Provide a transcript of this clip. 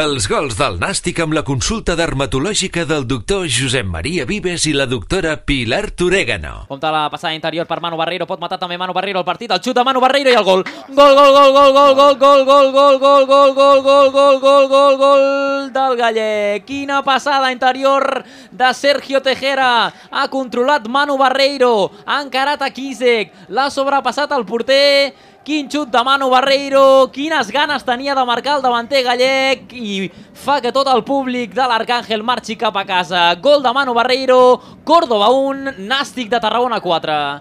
Els gols del Nàstic amb la consulta dermatològica del doctor Josep Maria Vives i la doctora Pilar Torégano. Compte la passada interior per Manu Barreiro, pot matar també Manu Barreiro el partit, el xut de Manu Barreiro i el gol. Gol, gol, gol, gol, gol, gol, gol, gol, gol, gol, gol, gol, gol, gol, gol, gol, gol del gallec. Quina passada interior de Sergio Tejera. Ha controlat Manu Barreiro, ha encarat a Kisek, l'ha sobrepassat el porter. Quin xut de Manu Barreiro, quines ganes tenia de marcar el davanter gallec i fa que tot el públic de l'Arcàngel marxi cap a casa. Gol de Manu Barreiro, Córdoba 1, Nàstic de Tarragona 4.